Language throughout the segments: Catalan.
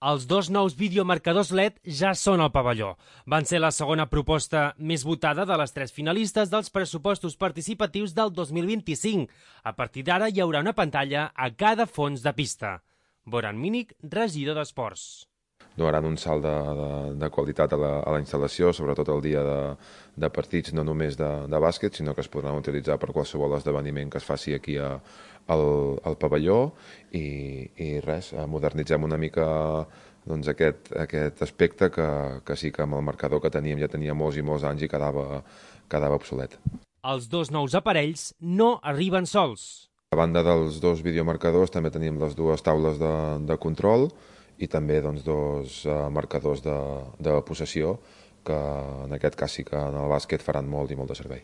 Els dos nous videomarcadors LED ja són al pavelló. Van ser la segona proposta més votada de les 3 finalistes dels pressupostos participatius del 2025. A partir d'ara hi haurà una pantalla a cada fons de pista. Boran Mínic, regidor d'Esports. Donaran un salt de qualitat a la instal·lació, sobretot el dia de partits, no només de bàsquet, sinó que es podran utilitzar per qualsevol esdeveniment que es faci aquí al pavelló i res, modernitzem una mica doncs, aquest aspecte que sí que amb el marcador que teníem ja tenia molts i molts anys i quedava obsolet. Els dos nous aparells no arriben sols. A banda dels dos videomarcadors també tenim les dues taules de control i també doncs, dos marcadors de possessió que en aquest cas sí que en el bàsquet faran molt i molt de servei.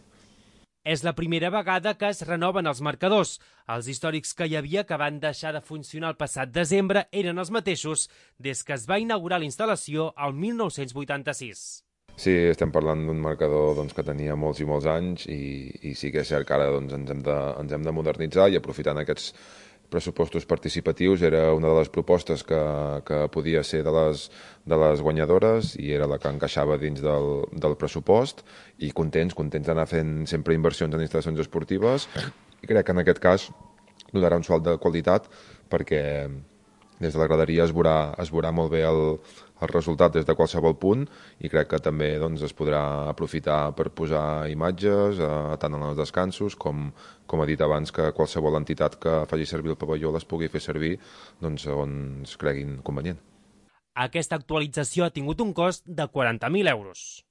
És la primera vegada que es renoven els marcadors. Els històrics que hi havia que van deixar de funcionar el passat desembre eren els mateixos des que es va inaugurar la instal·lació el 1986. Sí, estem parlant d'un marcador doncs, que tenia molts i molts anys i sí que és cert que ara doncs, ens hem de modernitzar i aprofitant aquests pressupostos participatius era una de les propostes que podia ser de les guanyadores i era la que encaixava dins del pressupost i contents d'anar fent sempre inversions en instal·lacions esportives i crec que en aquest cas donarà un salt de qualitat perquè des de la graderia es veurà molt bé el resultat des de qualsevol punt i crec que també doncs, es podrà aprofitar per posar imatges tant en els descansos com he dit abans que qualsevol entitat que faci servir el pavelló les pugui fer servir doncs, on es creguin convenient. Aquesta actualització ha tingut un cost de 40.000 euros.